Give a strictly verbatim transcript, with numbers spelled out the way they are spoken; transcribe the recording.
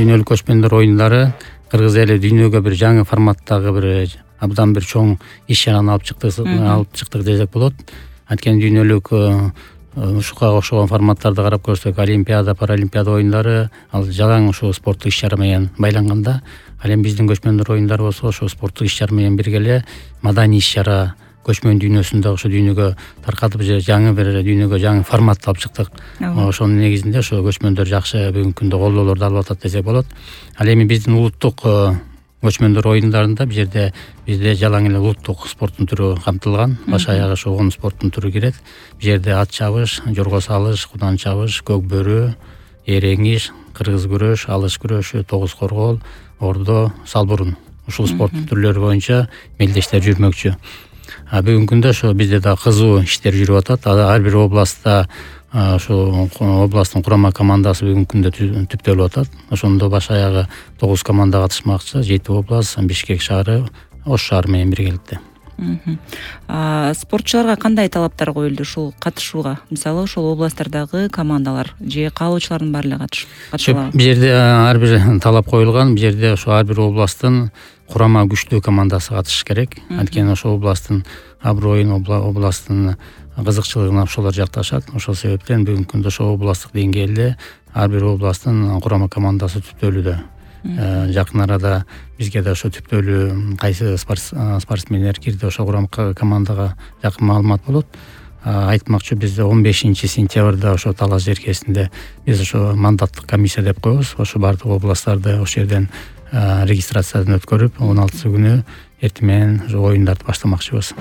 дүйнөлүк көчмөндөр оюндары Кыргыз эли дүйнөгө бир жаңы форматтагы бир абдан бир чоң иш чараны алып чыктык алып чыктык десек болот. Анткени дүйнөлүк ушуга окшогон форматтарды карап көрсөк, Олимпиада, Паралимпиада оюндары ал жалаң ушу спорттук иш чара менен байланганда, ал эми биздин көчмөндөр оюндары болсо ошо спорттук иш чара менен бирге эле маданий иш чара көчмөн дүйнөсүндө ошо дүйнөгө таркатып же жаңы бир дүйнөгө жаңы формат алып чыктык. Ошонун негизинде ошо көчмөндөр жакшы бүгүнкү күндө колдоолорду алып атат десек болот. Ал эми биздин улуттук көчмөндөр оюндарында бул жерде бизде жалаң эле улуттук спорттун түрү камтылган. Баш аягы ошо он спорттун түрү кирет. Бул жерде ат чабыш, жорго салыш, кудан чабыш, көк бөрү, эреңиш, кыргыз күрөш, алыш күрөшү, тогуз коргоол, ордо, салбурун. Ушул спорттун түрлөрү боюнча мелдештер жүрмөкчү. А бүгүнкү күндө ошо бизде да кызуу иштер жүрүп атат. Ар бир областта ошо областтын курама командасы бүгүнкү күндө түптөлүп атат. Ошондо баш аягы тогуз команда катышмакчы. жети област, Бишкек шаары, Ош шаары менен биргеликте. Спортчуларга кандай талаптар коюлду ушул катышууга? Мисалы, ошол областтардагы командалар же каалоочулардын баары эле катышабы? Бул жерде ар бир талап коюлган. Бул жерде ошо ар бир областтын курама күчтүү командасы катышыш керек. Анткени ошол областтын аброюн, областтын кызыкчылыгын ошолор жакташат. Ошол себептен бүгүнкү күндө ошо областтык деңгээлде ар бир областтын курама командасы түптөлүүдө. Жакын арада бизге да ошо түптөлүү кайсы спортсмендер кирди ошо курама командага жакын маалымат болот. Айтмакчы, бизде он бешинчи сентябрда ошо Талас жеркесинде биз ошо мандаттык комиссия деп коебуз. Ошо бардык областтарды ошол жерден регистрациядан өткөрүп, он алтысы күнү эртең менен оюндарды баштамакчыбыз.